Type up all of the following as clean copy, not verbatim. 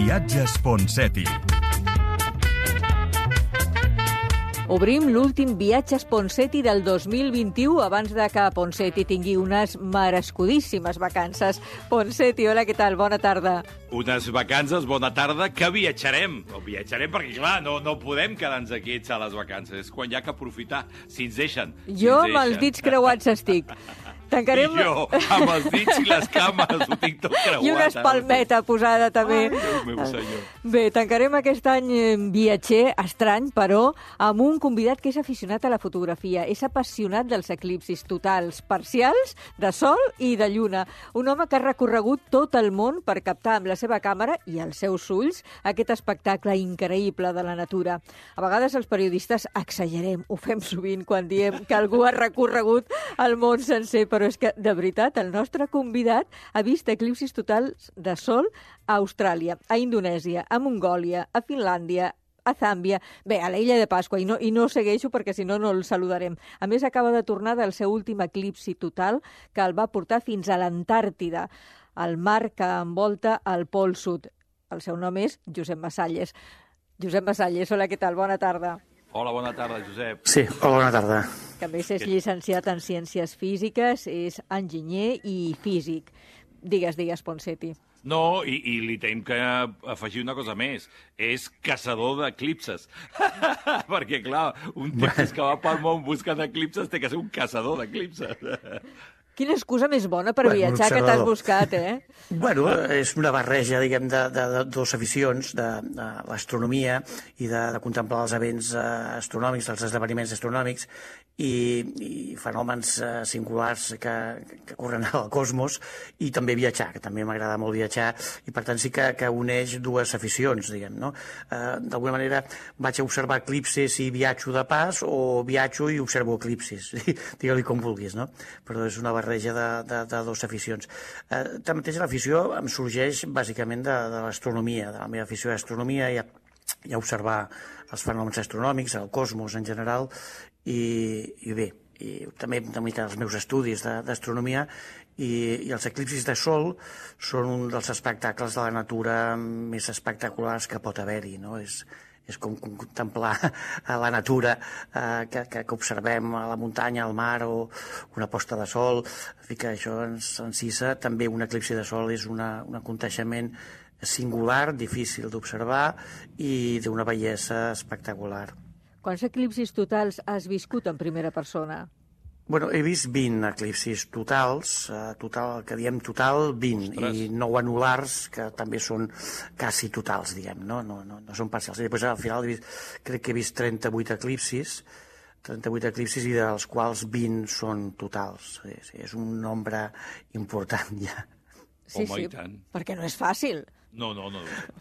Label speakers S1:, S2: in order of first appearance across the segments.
S1: Viatges Ponseti.
S2: Obrim l'últim Viatges Ponseti del 2021 abans de que Ponseti tingui unes merescudíssimes vacances. Ponseti, hola, què tal? Bona tarda.
S3: Unes vacances, bona tarda, que viatjarem. O viatjarem perquè, clar, no podem quedar-nos aquí a les vacances. És quan hi ha que aprofitar, si ens deixen.
S2: Jo amb els dits creuats estic. Tancarem...
S3: I jo, amb els dits i les cames, ho tinc tot creuat.
S2: I una espalmeta posada, també.
S3: Ai, Déu meu senyor.
S2: Bé, tancarem aquest any viatger estrany, però amb un convidat que és aficionat a la fotografia. És apassionat dels eclipsis totals, parcials, de sol i de lluna. Un home que ha recorregut tot el món per captar amb la seva càmera i els seus ulls aquest espectacle increïble de la natura. A vegades els periodistes exagerem, ho fem sovint quan diem que algú ha recorregut el món sencer, però és que, de veritat, el nostre convidat ha vist eclipsis totals de sol a Austràlia, a Indonèsia, a Mongòlia, a Finlàndia, a Zàmbia, bé, a l'illa de Pasqua, i no segueixo perquè si no el saludarem. A més, acaba de tornar del seu últim eclipsi total que el va portar fins a l'Antàrtida, el mar que envolta el Pol Sud. El seu nom és Josep Masalles. Josep Masalles, hola, què tal? Bona tarda.
S3: Hola, bona tarda, Josep.
S4: Sí, hola, bona tarda.
S2: Que a més és llicenciat en Ciències Físiques, és enginyer i físic. Digues, Ponseti.
S3: No, i li tenim que afegir una cosa més. És caçador d'eclipses. Perquè, clar, un tipus que va pel món buscant eclipses té que ser un caçador d'eclipses.
S2: Quina excusa més bona per viatjar que t'has buscat, eh?
S4: Bueno, és una barreja, diguem, de dues aficions, de l'astronomia i de contemplar els events astronòmics, els esdeveniments astronòmics i fenòmens singulars que corren al cosmos, i també viatjar, que també m'agrada molt viatjar, i per tant sí que uneix dues aficions, diguem, no? D'alguna manera vaig a observar eclipsis i viatjo de pas, o viatjo i observo eclipsis, digue-li com vulguis, no? Però és una barreja de dues aficions. Tanmateix l'afició em sorgeix bàsicament de l'astronomia, de la meva afició a l'astronomia i a observar els fenòmens astronòmics, el cosmos en general, i bé, i també una mica els meus estudis d'astronomia, i els eclipsis de sol són un dels espectacles de la natura més espectaculars que pot haver-hi, no? És com contemplar la natura que observem a la muntanya, al mar, o una posta de sol. En fi, que això ens encisa. També un eclipsi de sol és un aconteixement singular, difícil d'observar i d'una bellesa espectacular.
S2: Quants eclipsis totals has viscut en primera persona?
S4: Bueno, he vist 20 eclipsis totals, que diem total 20, ostres, i 9 anulars, que també són quasi totals, diguem, no són parcials. I després, al final, crec que he vist 38 eclipsis, i dels quals 20 són totals. És un nombre important, ja.
S2: Sí,
S3: home, i tant.
S2: Perquè no és fàcil.
S3: No.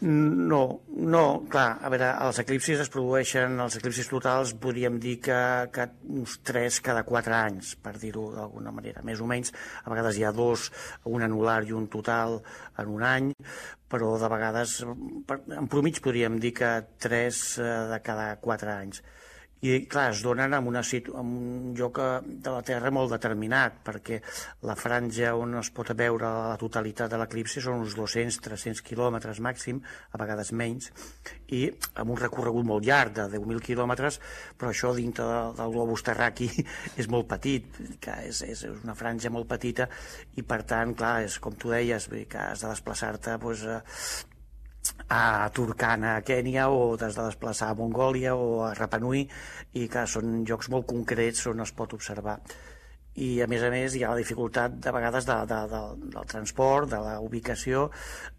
S4: No, clar, a veure, els eclipsis es produeixen, els eclipsis totals, podríem dir que uns 3 cada 4 anys, per dir-ho d'alguna manera, més o menys. A vegades hi ha 2, un anular i un total en un any, però de vegades, en promig podríem dir que 3 de cada 4 anys. I, clar, es donen en un lloc de la Terra molt determinat, perquè la franja on es pot veure la totalitat de l'eclipsi són uns 200-300 quilòmetres màxim, a vegades menys, i amb un recorregut molt llarg, de 10.000 quilòmetres, però això dintre del globus terraqui és molt petit, que és una franja molt petita, i per tant, clar, és com tu deies, que has de desplaçar-te a Turkana, a Kènia, o t'has de desplaçar a Mongòlia o a Rapa Nui, i que són llocs molt concrets on es pot observar. I a més hi ha la dificultat de vegades del transport, de la ubicació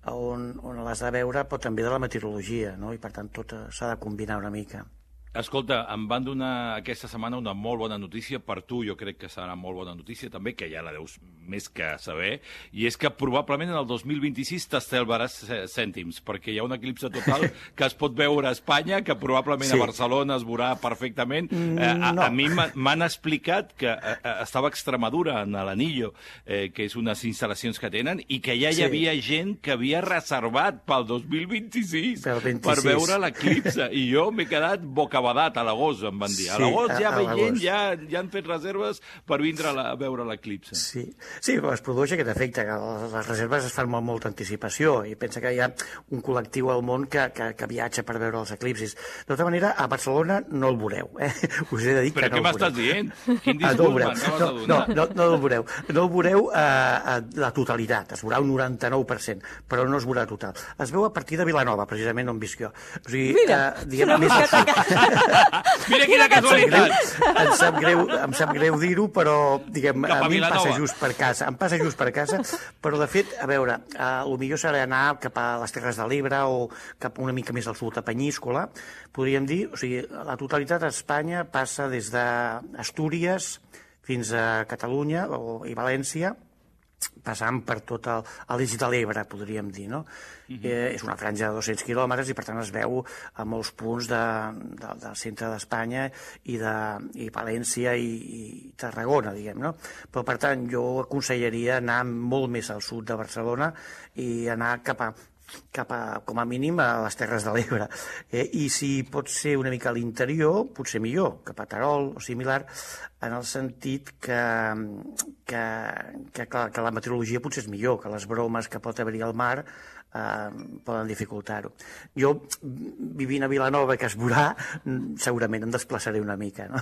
S4: on l'has de veure, però també de la meteorologia, no? I per tant tot s'ha de combinar una mica.
S3: Escolta, em van donar aquesta setmana una molt bona notícia, per tu jo crec que serà molt bona notícia també, que ja la deus més que saber, i és que probablement en el 2026 t'estalvaràs cèntims, perquè hi ha un eclipse total que es pot veure a Espanya, que probablement a Barcelona es veurà perfectament. A mi m'han explicat que estava a Extremadura, en l'Anillo, que és unes instal·lacions que tenen, i que ja hi havia gent que havia reservat pel 2026 per veure l'eclipse, i jo m'he quedat boca cabadat a l'agost, em van dir. A l'agost ja veient, ja han fet reserves per vindre a veure l'eclipse.
S4: Sí, es produeix aquest efecte, que les reserves es fan amb molta anticipació, i pensa que hi ha un col·lectiu al món que viatja per veure els eclipsis. De tota manera, a Barcelona no el veureu, us he de dir que no el veureu.
S3: Però què m'estàs dient? Quin discurs m'acabes de donar?
S4: No el veureu. No el veureu la totalitat, es veurà un 99%, però no es veurà total. Es veu a partir de Vilanova, precisament on visc jo. O sigui, diguem, més al sud.
S3: Mira quina casualitat!
S4: Em sap greu dir-ho, però diguem, a mi em passa just per casa, però de fet, a veure, el millor serà anar cap a les Terres de l'Ebre o cap una mica més al sud, a Penyíscola, podríem dir, o sigui, la totalitat a Espanya passa des d'Astúries fins a Catalunya i València, passant per tot l'eix de l'Ebre, podríem dir, no? És una franja de 200 quilòmetres i, per tant, es veu a molts punts del centre d'Espanya i València i Tarragona, diguem, no? Però, per tant, jo aconsellaria anar molt més al sud de Barcelona i anar cap a, com a mínim, a les Terres de l'Ebre. I si pot ser una mica a l'interior, potser millor, cap a Terol o similar, en el sentit que la meteorologia potser és millor, que les bromes que pot haver-hi al mar poden dificultar-ho. Jo, vivint a Vilanova, que es veurà, segurament em desplaçaré una mica, no?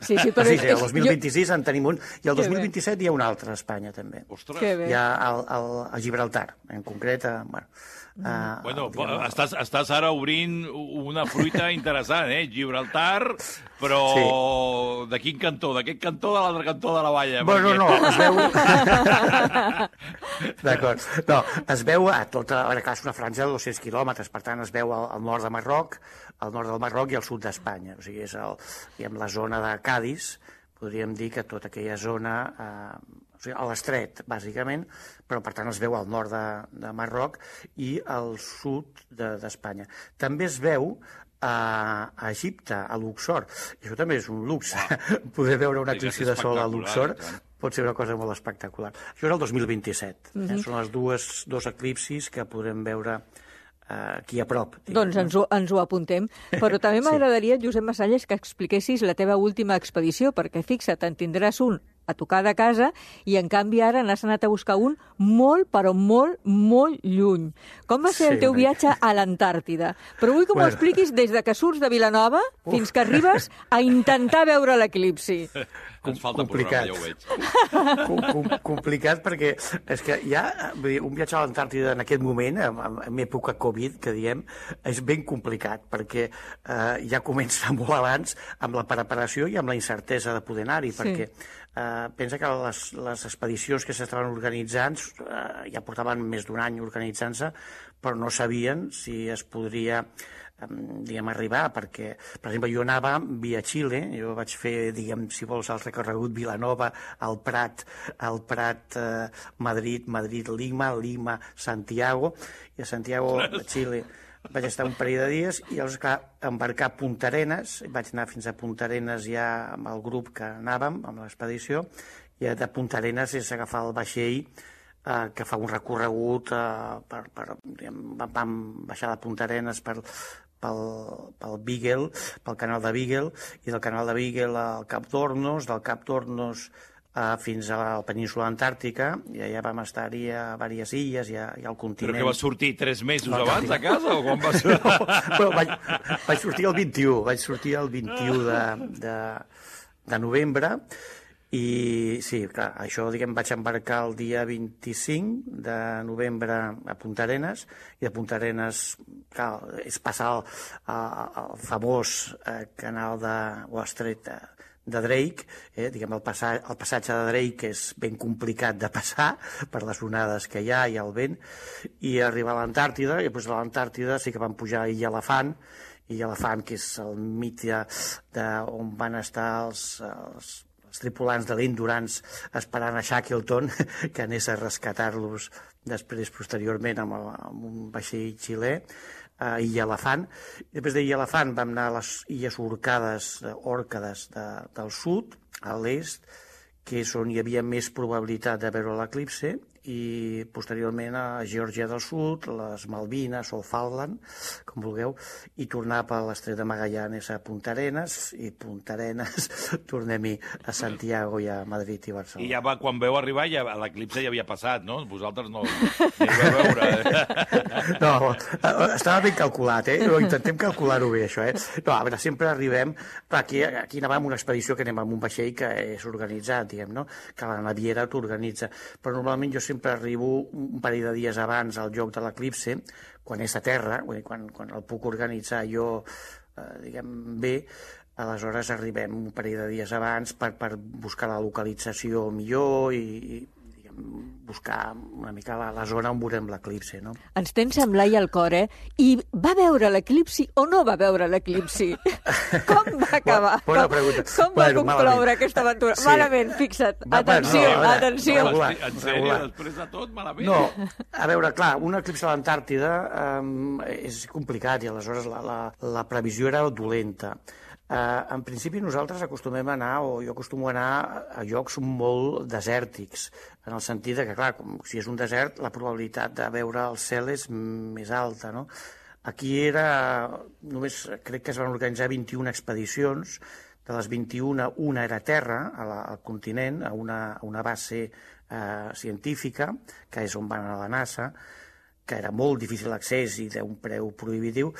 S2: Sí, però...
S4: Sí, el 2026 en tenim un, i el 2027 hi ha un altre a Espanya, també.
S3: Ostres!
S4: Hi ha a Gibraltar, en concret,
S3: Bueno, estàs ara obrint una fruita interessant, Gibraltar, però de quin cantó? D'aquest cantó o de l'altre cantó de la valla?
S4: Bueno, no, es veu... D'acord. No, es veu a tota... A veure, clar, és una franja de 200 quilòmetres, per tant, es veu al nord de Marroc, al nord del Marroc i al sud d'Espanya. O sigui, és la zona de Cadis, podríem dir que tota aquella zona... O sigui, a l'estret, bàsicament, però, per tant, es veu al nord de Marroc i al sud d'Espanya. També es veu a Egipte, a Luxor. I això també és un luxe. Poder veure un eclipsi de sol a Luxor pot ser una cosa molt espectacular. Això és el 2027. Són els dos eclipsis que podem veure aquí a prop.
S2: Doncs ens ho apuntem. Però també m'agradaria, Josep Masalles, que expliquessis la teva última expedició, perquè fixa't, en tindràs un a tocar de casa i, en canvi, ara n'has anat a buscar un molt, però molt, molt lluny. Com va ser el teu viatge a l'Antàrtida? Però vull que m'ho expliquis des de que surts de Vilanova fins que arribes a intentar veure l'eclipsi.
S3: Ens falta programa, ja ho veig.
S4: Complicat perquè és que ja un viatge a l'Antàrtida en aquest moment, en època Covid, que diem, és ben complicat perquè ja comença molt abans amb la preparació i amb la incertesa de poder anar-hi, perquè pensa que les expedicions que s'estaven organitzant ja portaven més d'un any organitzant-se, però no sabien si es podria arribar, perquè, per exemple, jo anava via Xile, jo vaig fer, si vols, el recorregut Vilanova, al Prat, Madrid, Lima, Santiago, i a Santiago, de Xile, vaig estar un parell de dies i llavors, clar, embarcar a Punta Arenas, vaig anar fins a Punta Arenas ja amb el grup que anàvem, amb l'expedició, i de Punta Arenas és agafar el vaixell que fa un recorregut, vam baixar de Punta Arenas pel Beagle, pel canal de Beagle, i del canal de Beagle al Cap d'Hornos, del Cap d'Hornos fins a la península antàrtica, i allà vam estar-hi a diverses illes i al continent.
S3: Però que vas sortir 3 mesos abans a casa, o quan vas...
S4: No, vaig sortir el 21 de novembre, i sí, clar, això, vaig embarcar el dia 25 de novembre a Punta Arenas, i de Punta Arenas, clar, és passar el famós canal de Wall Street de Drake, el passatge de Drake és ben complicat de passar per les onades que hi ha i el vent, i arribar a l'Antàrtida, i després a l'Antàrtida sí que vam pujar a Illa Elefant, que és el mite on van estar els tripulants de l'Endurance esperant a Shackleton que anés a rescatar-los després, posteriorment, amb un vaixell xilè, a Illa Elefant. Després d'Illa Elefant vam anar a les illes Òrcades del sud, a l'est, que és on hi havia més probabilitat de veure l'eclipse, i posteriorment a Geòrgia del Sud, les Malvines o Falkland, com vulgueu, i tornar per l'estret de Magallanes a Punta Arenas, i Punta Arenas tornem-hi a Santiago i a Madrid i Barcelona.
S3: I ja quan veu arribar, l'eclipse ja havia passat, no? Vosaltres no hi vau veure.
S4: No, estava ben calculat, intentem calcular-ho bé, això, No, a veure, sempre arribem... Aquí anàvem amb una expedició que anem amb un vaixell que és organitzat, diguem, no? Que la naviera t'organitza. Però normalment jo sempre arribo un parell de dies abans al lloc de l'eclipse, quan és a terra, quan el puc organitzar jo, diguem, bé, aleshores arribem un parell de dies abans per buscar la localització millor i buscar una mica la zona on veurem l'eclipsi, no?
S2: Ens tens amb l'ai al cor, I va veure l'eclipsi o no va veure l'eclipsi? Com va acabar?
S4: Bona pregunta.
S2: Com va concloure aquesta aventura? Sí. Malament, fixa't. Atenció, atenció.
S3: En sèrio, després de tot, malament?
S4: No, a veure, clar, un eclipsi a l'Antàrtida és complicat i aleshores la previsió era dolenta. En principi nosaltres acostumem a anar, o jo acostumo a anar a llocs molt desèrtics, en el sentit que, clar, si és un desert, la probabilitat de veure el cel és més alta, no? Aquí només crec que es van organitzar 21 expedicions, de les 21, una era a terra, al continent, a una base científica, que és on va anar la NASA, que era molt difícil l'accés i d'un preu prohibitiu,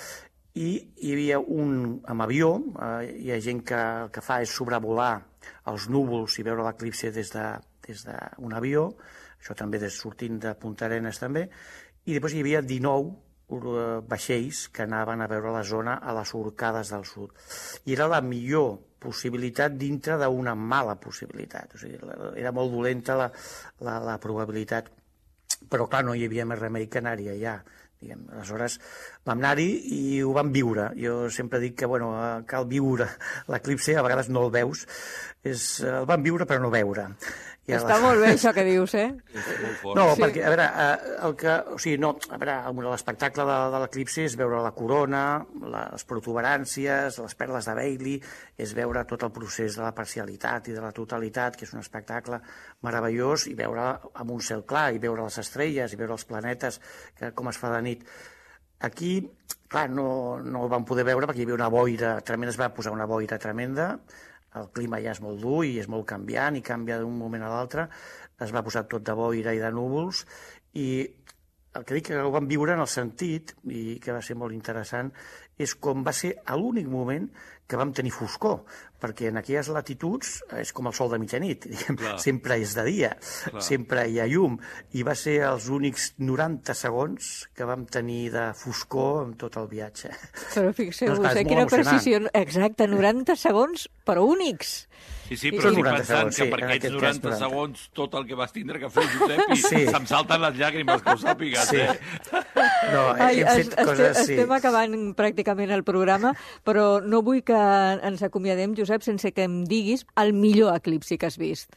S4: i hi havia un amb avió, hi ha gent que el que fa és sobrevolar els núvols i veure l'eclipsi des d'un avió, això també sortint de Punta Arenas també, i després hi havia 19 vaixells que anaven a veure la zona a les Orcades del Sud. I era la millor possibilitat dintre d'una mala possibilitat, o sigui, era molt dolenta la probabilitat, però clar, no hi havia més remei que anar-hi allà. Aleshores vam anar-hi i ho vam viure. Jo sempre dic que cal viure l'eclipsi, a vegades no el veus, el vam viure però no veure.
S2: Està molt bé això que dius,
S4: No, perquè, a veure, l'espectacle de l'eclipsi és veure la corona, les protuberàncies, les perles de Bailey, és veure tot el procés de la parcialitat i de la totalitat, que és un espectacle meravellós, i veure amb un cel clar, i veure les estrelles, i veure els planetes, com es fa de nit. Aquí, clar, no el vam poder veure perquè hi havia una boira tremenda, es va posar una boira tremenda, el clima ja és molt dur i és molt canviant i canvia d'un moment a l'altre, es va posar tot de boira i de núvols, i el que dic que ho vam viure en el sentit, i que va ser molt interessant, és com va ser l'únic moment que vam tenir foscor, perquè en aquelles latituds és com el sol de mitjanit, sempre és de dia, sempre hi ha llum, i va ser els únics 90 segons que vam tenir de foscor en tot el viatge.
S2: Però fixeu-vos, quina precisió, exacte, 90 segons, però únics.
S3: Sí, però estic pensant que per aquests 90 segons tot el que vas tindre que fer, Josep, i se'm salten les llàgrimes, que ho sàpigues,
S4: No, hem fet coses...
S2: Estem acabant pràcticament el programa, però no vull que ens acomiadem, Josep, sense que em diguis el millor eclipsi que has vist.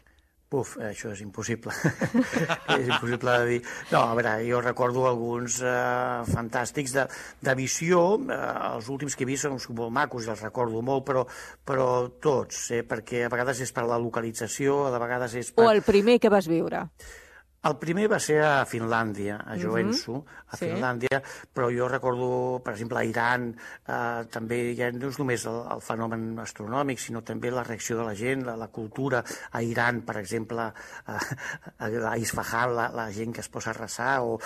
S4: Això és impossible. És impossible de dir. No, a veure, jo recordo alguns fantàstics de visió. Els últims que he vist són molt macos i els recordo molt, però tots, perquè a vegades és per la localització, a vegades és per...
S2: O el primer que vas viure.
S4: El primer va ser a Finlàndia, a Joensuu, Finlàndia, però jo recordo, per exemple, a Iran, també ja no és només el fenomen astronòmic, sinó també la reacció de la gent, la cultura. A Iran, per exemple, a Isfahan, la gent que es posa a resar, o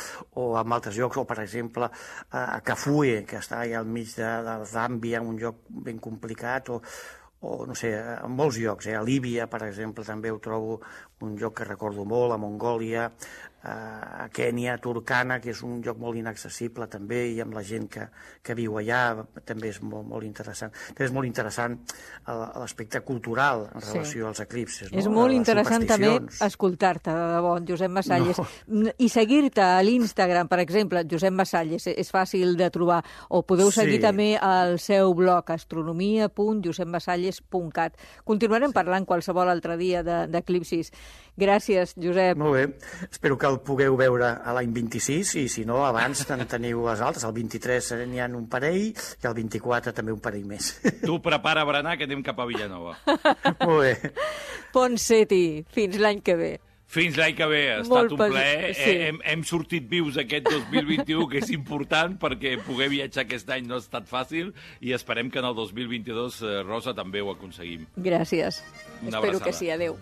S4: en altres llocs, o per exemple a Kafue, que està allà al mig de Zàmbia, un lloc ben complicat, o no sé, en molts llocs, a Líbia, per exemple, també ho trobo un lloc que recordo molt, a Mongòlia, a Kènia, a Turkana, que és un lloc molt inaccessible també, i amb la gent que viu allà també és molt interessant. També és molt interessant l'aspecte cultural en relació als eclipsis.
S2: És molt interessant també escoltar-te, de debò, Josep Masalles. I seguir-te a l'Instagram, per exemple, Josep Masalles, és fàcil de trobar. O podeu seguir també al seu blog, astronomia.josepmasalles.cat. Continuarem parlant qualsevol altre dia d'eclipsis. Gràcies, Josep.
S4: Molt bé. Espero que el pugueu veure a l'any 26, i si no, abans en teniu les altres. El 23 n'hi ha un parell, i el 24 també un parell més.
S3: Tu prepara berenar, que anem cap a Vilanova.
S4: Molt bé.
S2: Ponseti, fins l'any que ve.
S3: Fins l'any que ve. Ha estat un plaer.
S2: Sí.
S3: Hem sortit vius aquest 2021, que és important, perquè poder viatjar aquest any no ha estat fàcil, i esperem que en el 2022, Rosa, també ho aconseguim.
S2: Gràcies.
S3: Una
S2: Espero
S3: abraçada.
S2: que sí. Adéu.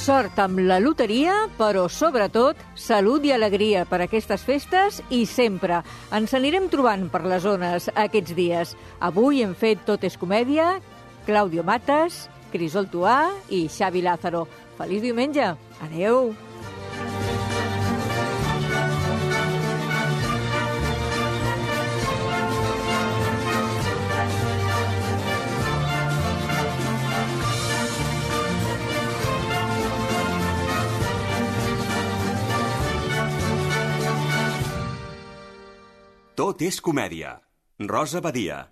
S2: Sort amb la loteria, però sobretot salut i alegria per aquestes festes i sempre. Ens anirem trobant per les zones aquests dies. Avui hem fet Tot és comèdia, Claudio Matas, Crisol Tuà i Xavi Lázaro. Feliç diumenge. Adéu.
S1: Tot és comèdia. Rosa Badia.